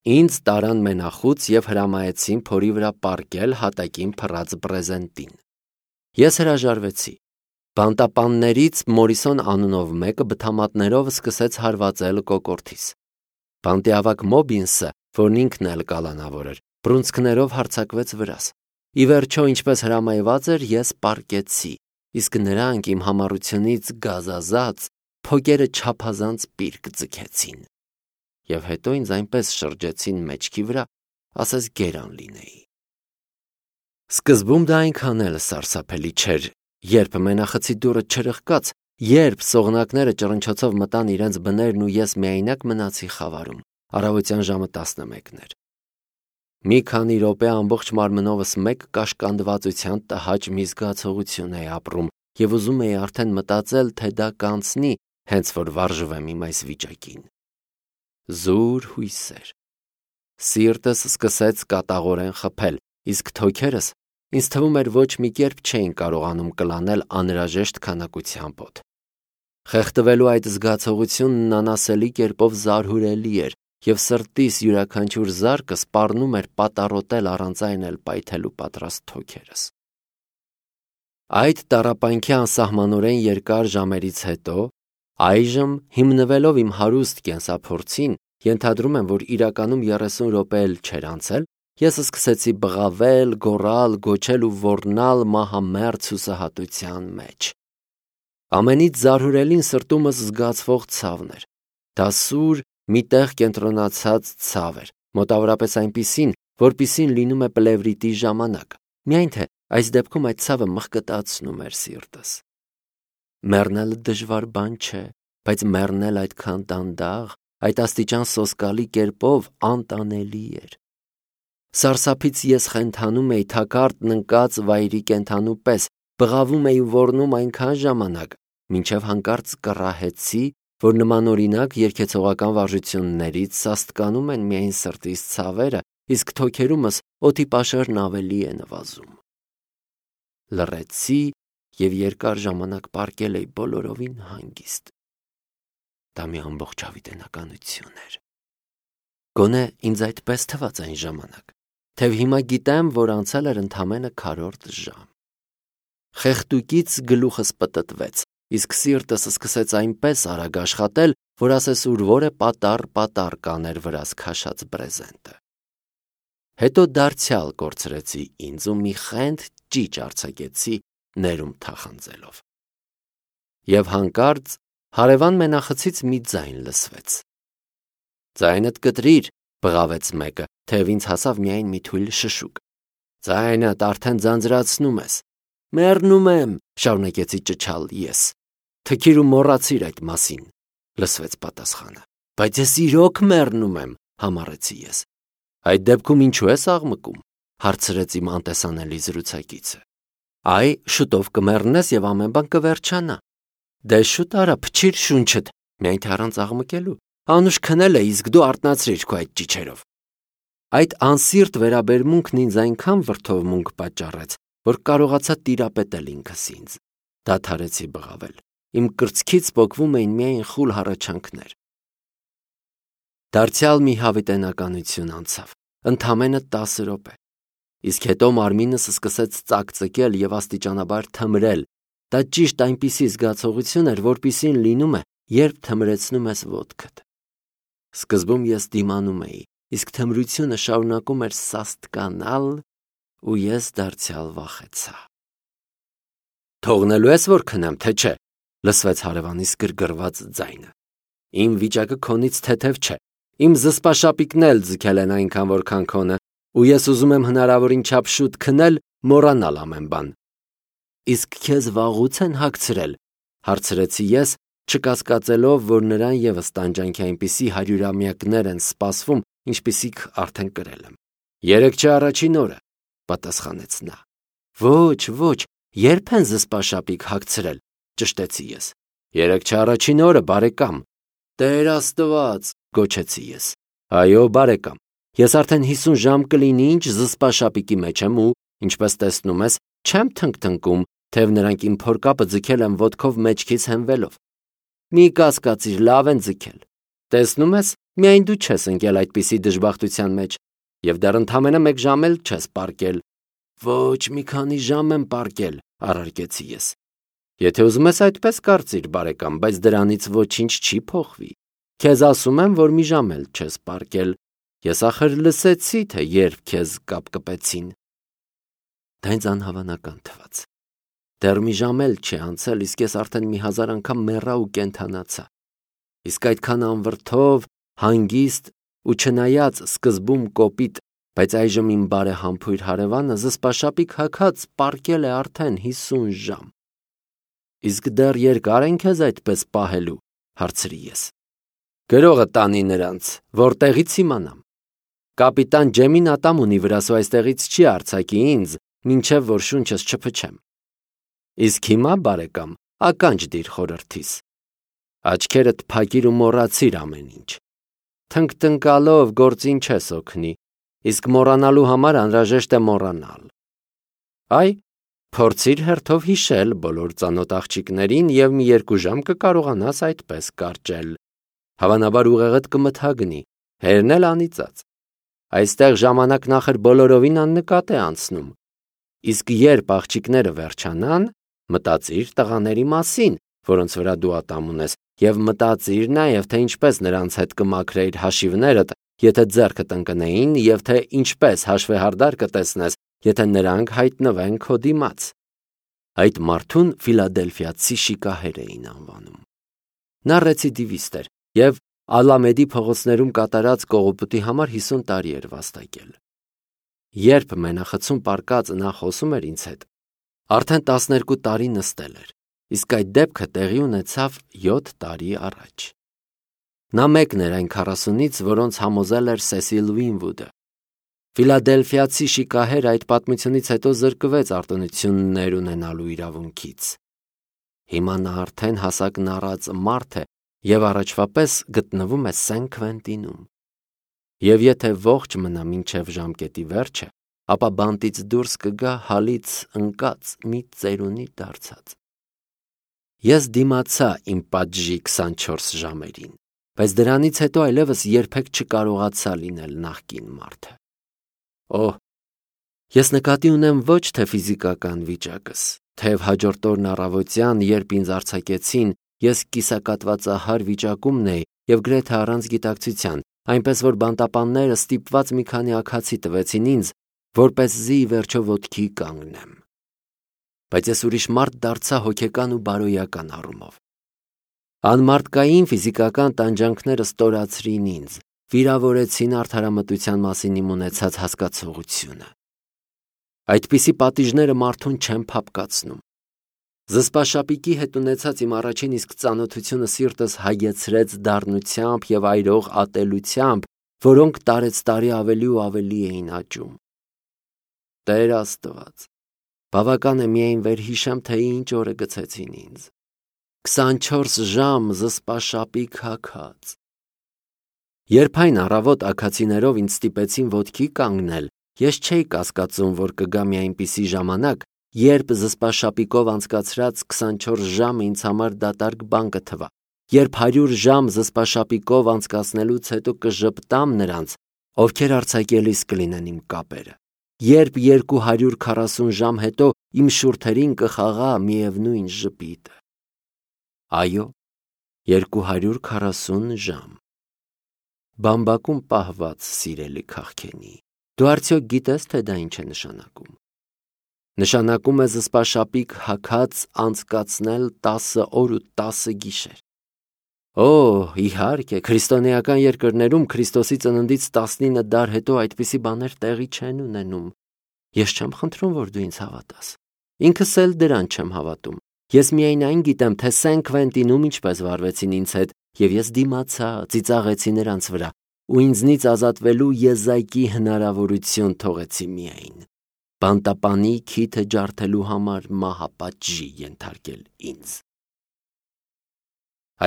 Ինձ տարան մենախուց և հրամայեցին փորի վրա պառկել հատակին փռած բրեզենտին։ Ես հրաժարվեցի։ Բանտապաններից Մորիսոն անունով մեկը բթամատներով սկսեց հարվածել կոկորդիս։ Բանտիավակ Մոբինսը, որն ինքն էլ կալանավոր էր, բռունցքներով հարձակվեց վրաս։ Ի վերջո, ինչպես հրամայված էր, ես պառկեցի, իսկ նրանք իմ համառությունից գազազած փոկերը չափազանց պիրկ ձգեցին։ Եվ հետո ինձ այնպես շրջեցին մեջքի վրա, ասես գերան լինեի։ Սկզբում դա այնքան էլ սարսափելի չէր, երբ մենախցի դուռը չրխկաց, երբ սողնակները ճռնչոցով մտան իրենց բներն ու ես միայնակ մնացի խավարում։ Առավոտյան ժամը 11 էր։ Մի քանի րոպե ամբողջ մարմնովս մեկ կաշկանդվածության տհաճ մի զգացողություն էի ապրում և ուզում էի արդեն մտածել, թե դա կանցնի, հենց որ վարժվեմ իմ այս վիճակին։ Զուր հույսեր։ Սիրտս սկսեց կատաղորեն խփել, իսկ թոքերս ինձ թվում էր ոչ մի կերպ չէին կարողանում կլանել անհրաժեշտ քանակությամբ օդ։ Խեղդվելու այդ զգացողությունն անասելի կերպով զարհուրելի էր, և սրտիս յուրաքանչյուր զարկը սպառնում էր պատառոտել առանց այն էլ պայթելու պատրաստ թոքերս։ Այդ տառապանքի անսահմանորեն երկար ժամերից հետո, այժմ, հիմնվելով իմ հարուստ կենսափորձին, ենթադրում եմ, որ իրականում 30 րոպե էլ չէր անցել, ես սկսեցի բղավել, գոռալ, գոչել ու ոռնալ մահամերձ հուսահատության մեջ։ Ամենից զարհուրելին սրտումս զգացվող ցավն էր։ Դա սուր, մի տեղ կենտրոնացած ցավ էր, մոտավորապես այնպիսին, որպիսին լինում է պլևրիտի ժամանակ, միայն թե այս դեպքում այդ ցավը մխկտացնում էր սիրտս։ Մեռնելը դժվար բան չէ, բայց մեռնել այդքան դանդաղ, այդ աստիճան սոսկալի կերպով անտանելի էր։ Սարսափից ես խենթանում էի թակարդն ընկած վայրի կենդանու պես, բղավում էի ու ոռնում այնքան ժամանակ, մինչև հանկարծ կռահեցի, որ նմանօրինակ երգեցողական վարժություններից սաստկանում են միայն սրտիս ցավերը, իսկ թոքերումս օդի պաշարն ավելի է նվազում։ Լռեցի և երկար ժամանակ պառկել էի բոլորովին հանգիստ։ Դա մի ամբողջ հավիտենականություն էր։ Գոնե ինձ այդպես թվաց այն ժամանակ, թեև հիմա գիտեմ, որ անցել էր ընդամենը քառորդ ժամ։ Խեղդուկից գլուխս պտտվեց, իսկ սիրտս սկսեց այնպես արագ աշխատել, որ ասես ուրվորե պատառ կաներ վրաս քաշած բրեզենտը։ Հետո դարձյալ կորցրեցի ինձ ու մի խենթ ճիչ արձակեցի ներում թախանձելով։ Եվ հանկարծ հարևան մենախցից մի ձայն լսվեց։ «Ձայնդ կտրիր», բղավեց մեկը, թեև ինձ հասավ միայն մի թույլ շշուկ։ «Ձայնդ արդեն ձանձրացնում ես»։ «Մեռնում եմ», շարունակեցի ճչալ ես։ «Թքիր ու մոռացիր այդ մասին», լսվեց պատասխանը։ «Բայց ես իրոք մեռնում եմ», համառեցի ես։ «Այդ դեպքում ինչու ես աղմկում», հարցրեց իմ անտեսանելի զրուցակիցը։ «Այ, շուտով կմեռնես և ամեն բան կվերջանա»։ «Դե շուտ արա, փչիր շունչդ, միայն թե առանց աղմկելու, անուշ քնել է, իսկ դու արթնացրիր քո այդ ճիչերով»։ Այդ անսիրտ վերաբերմունքն ինձ այնքան վրդովմունք պատճառեց, որ կարողացա տիրապետել ինքս ինձ։ Դադարեցի բղավել։ Իմ կրծքից պոկվում էին միայն խուլ հառաչանքներ։ Դարձյալ մի հավիտենականություն անցավ, ընդամենը 10 րոպե։ Իսկ հետո մարմինս սկսեց ծակծկել և աստիճանաբար թմրել։ Դա ճիշտ այնպիսի զգացողություն էր, որպիսին լինում է, երբ թմրեցնում ես ոտքդ։ Սկզբում ես դիմանում էի, իսկ թմրությունը շարունակում էր սաստկանալ, ու ես դարձյալ վախեցա։ «Թողնելու ես, որ քնեմ, թե չէ», լսվեց հարևանիս գրգռված ձայնը։ «Իմ վիճակը քոնից թեթև չէ, իմ զսպաշապիկն էլ ձգել են այնքան, որքան քոնը, ու ես ուզում եմ հնարավորին չափ շուտ քնել, մոռանալ ամեն բան»։ «Իսկ քեզ վաղուց են հագցրել», հարցրեցի ես, չկասկածելով, որ նրան ևս տանջանքի այնպիսի հարյուրամյակներ են սպասվում, ինչպիսիք արդեն կրել եմ։ «Երեկ չէ առաջին օրը», պատասխանեց նա։ Ոչ, երբ են զսպաշապիկ հագցրել, ճշտեցի ես։ «Երեկ չէ առաջին օրը, բարեկամ»։ «Տեր Աստված», գոչեցի ես։ «Այո, բարեկամ, ես արդեն 50 ժամ կլինի ինչ զսպաշապիկի մեջ եմ ու, ինչպես տեսնում ես, չեմ թնգթնգում, թեև նրանք իմ փորկապը ձգել են ոտքով մեջքից հենվելով»։ «Մի կասկածիր, լավ են ձգել։ Տեսնում ես, միայն դու չես ընկել այդպիսի դժբախտության մեջ, եւ դեռ ընդամենը 1 ժամ էլ չես պառկել։ Ոչ, մի քանի ժամ եմ պառկել, առարկեցի ես։ Եթե ուզում ես այդպես կարծիր, բարեկամ, բայց դրանից ոչինչ չի փոխվի։ Քեզ ասում եմ, որ մի ժամ էլ չես պառկել։ Ես ախր լսեցի, թե երբ քեզ կապկպեցին։ Դա ինձ անհավանական թվաց։ Դեռ մի ժամ էլ չի անցել, իսկ ես արդեն 1000 անգամ մեռա ու կենթանացա։ Իսկ այդքան անվրդով, հանգիստ ու չնայած սկզբում կոպիտ, բայց այժմ իմ բարեհամբույր հարևանը զսպաշապիկ հագած պառկել է արդեն 50 ժամ։ Իսկ դեռ երկար են քեզ այդպես պահելու, հարցրի ես։ Գրողը տանի նրանց, որտեղից իմանամ։ Կապիտան Ջեմին ատամ ունի վրաս ու այստեղից չի արձակի ինձ, մինչև որ շունչս չփչեմ։ Իսկ հիմա, բարեկամ, ականջ դիր խորհրդիս։ Աչքերդ փակիր ու մոռացիր ամեն ինչ։ Թնկթնկալով գործին չես օգնի, իսկ մոռանալու համար անհրաժեշտ է մոռանալ։ Այ, փորձիր հերթով հիշել բոլոր ծանոթ աղջիկներին և մի 2 ժամ կկարողանաս այդպես կարճել։ Հավանաբար ուղեղդ կմթագնի, հերն էլ անիծած։ Այստեղ ժամանակն ախր բոլորովին աննկատ է անցնում։ Իսկ երբ աղջիկները վերջանան, մտածիր տղաների մասին, որոնց վրա դու ատամ ունես, և մտածիր նաև, թե ինչպես նրանց հետ կմաքրեիր հաշիվներդ, եթե ձեռքդ ընկնեին, և թե ինչպես հաշվեհարդար կտեսնես, եթե նրանք հայտնվեն քո դիմաց։ Այդ մարդուն Ֆիլադելֆիացի շիկահեր էին անվանում։ Նա ռեցիդիվիստ էր և Ալամեդի փողոցներում կատարած կողոպուտի համար 50 տարի էր վաստակել։ Երբ մենախցում պառկած նա խոսում էր ինձ հետ, արդեն 12 տարի նստել էր, իսկ այդ դեպքը տեղի ունեցավ 7 տարի առաջ։ Նա մեկն էր այն 40-ից, որոնց համոզել էր Սեսիլ Ուինվուդը։ Ֆիլադելֆիացի շիկահերը այդ պատմությունից հետո զրկվեց արտոնություններ ունենալու իրավունքից։ Հիմա նա արդեն հասակն առած մարդ է և առաջվա պես գտնվում է Սեն Քվենտինում։ Եվ եթե ողջ մնա մինչև ժամկետի վերջը, ապա բանտից դուրս կգա հալից ընկած մի ծերունի դարձած։ Ես դիմացա իմ պատժի 24 ժամերին, բայց դրանից հետո այլևս երբեք չկարողացա լինել նախկին մարդը։ Օհ, ես նկատի ունեմ ոչ թե ֆիզիկական վիճակս, թեև հաջորդ օրն առավոտյան, երբ ինձ արձակեցին, ես կիսակատվածահար վիճակումն էի և գրեթե առանց գիտակցության, այնպես որ բանտապանները ստիպված մի քանի աքացի տվեցին ինձ, որպեսզի ի վերջո ոտքի կանգնեմ։ Բայց ես ուրիշ մարդ դարձա հոգեկան ու բարոյական առումով։ Անմարդկային ֆիզիկական տանջանքները ստորացրին ինձ, վիրավորեցին արդարամտության մասին իմ ունեցած հասկացողությունը։ Այդպիսի պատիժները մարդուն չեն փափկացնում։ Զսպաշապիկի հետ ունեցած իմ առաջին իսկ ծանոթությունը սիրտս հագեցրեց դառնությամբ և այրող ատելությամբ, որոնք տարեցտարի ավելի ու ավելի էին աճում։ Տեր Աստված, բավական է միայն վերհիշեմ, թե ինչ օրը գցեցին ինձ։ 24 ժամ զսպաշապիկ հագած։ Երբ այն առավոտ աքացիներով ինձ ստիպեցին ոտքի կանգնել, ես չէի կասկածում, որ կգա մի այնպիսի ժամանակ, երբ զսպաշապիկով անցկացրած 24 ժամը ինձ համար դատարկ բան կթվա, երբ 100 ժամ զսպաշապիկով անցկացնելուց հետո կժպտամ նրանց, ովքեր արձակելիս կլինեն իմ կապերը, երբ 240 ժամ հետո իմ շուրթերին կխաղա միևնույն ժպիտը։ Այո, 240 ժամ։ Բամբակում պահված սիրելի քաղքենի, դու արդյոք գիտես, թե դա ինչ է նշանակում։ Նշանակում է զսպաշապիկ հագած անցկացնել 10 օր ու 10 գիշեր։ Օ, իհարկե, քրիստոնեական երկրներում Քրիստոսի ծննդից 19 դար հետո այդպիսի բաներ տեղի չեն ունենում։ Ես չեմ խնդրում, որ դու ինձ հավատաս։ Ինքս էլ դրան չեմ հավատում։ Ես միայն այն գիտեմ, թե Սեն Քվենտինում ինչպես վարվեցին ինձ հետ, և ես դիմացա, ծիծաղեցի նրանց վրա, ու ինձնից ազատվելու եզակի հնարավորություն թողեցի միայն։ Բանտապանի քիթը ջարդելու համար մահապատժի ենթարկել ինձ։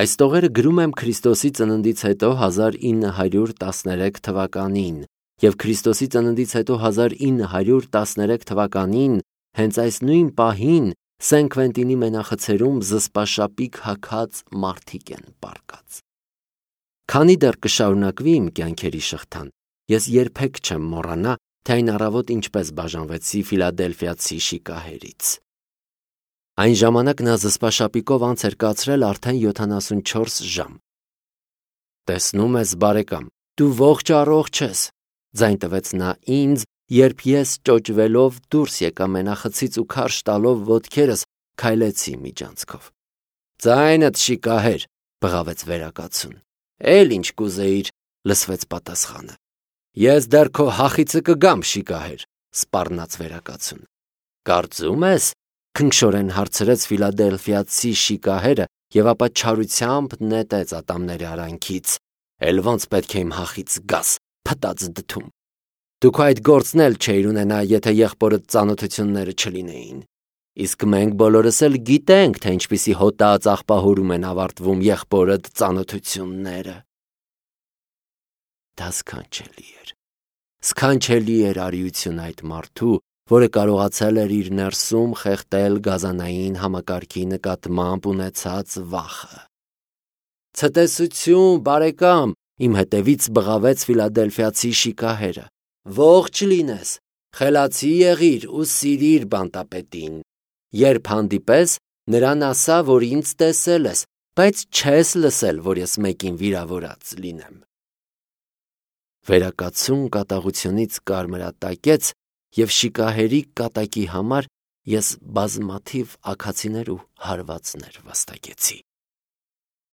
Այս տողերը գրում եմ Քրիստոսի ծննդից հետո 1913 թվականին և Քրիստոսի ծննդից հետո 1913 թվականին հենց այս նույն պահին Սեն Քվենտինի մենախցերում զսպաշապիկ հագած մարդիկ են պառկած։ Քանի դեռ կշարունակվի իմ կյանքերի շղթան, ես երբեք չեմ մոռանա, թե այն առավոտ ինչպես բաժանվեցի Ֆիլադելֆիացի շիկահերից։ Այն ժամանակ նա զսպաշապիկով անց էր կացրել արդեն 74 ժամ։ «Տեսնում ես, բարեկամ, դու ողջ առողջ ես», ձայն տվեց նա ինձ, երբ ես ճոճվելով դուրս եկա մենախցից ու քարշ տալով ոտքերս քայլեցի միջանցքով։ «Ձայնդ շիկահեր», բղավեց վերակացուն։ «Էլ ինչ կուզեիր», լսվեց պատասխանը։ «Ես դեռ քո հախիցը կգամ, շիկահեր», սպառնաց վերակացուն։ «Կարծում ես», քնքշորեն հարցրեց Ֆիլադելֆիացի շիկահերը եւ ապա չարությամբ նետեց ատամների արանքից։ «Էլ ոնց պետք է իմ հախից գաս, փտած դդում։ Դու քո այդ գործն էլ չէիր ունենա, եթե եղբորդ ծանոթությունները չլինեին։ Իսկ մենք բոլորս էլ գիտենք, թե ինչպիսի հոտած աղբահուրում են ավարտվում եղբորդ ծանոթությունները»։ Դա սքանչելի էր արիություն այդ մարդու, որը կարողացել էր իր ներսում խեղդել գազանային համակարգի նկատմամբ ունեցած վախը։ «Ցտեսություն, բարեկամ», իմ հետևից բղավեց Ֆիլադելֆիացի շիկահերը։ «Ողջ լինես, խելացի եղիր ու սիրիր բանտապետին։ Երբ հանդիպես, նրան ասա, որ ինձ տեսել ես, բայց չես լսել, որ ես մեկին վիրավորած լինեմ»։ Վերակացուն կատաղությունից կարմրատակեց, եւ շիկահերի կատակի համար ես բազմաթիվ աքացիներ ու հարվածներ վաստակեցի։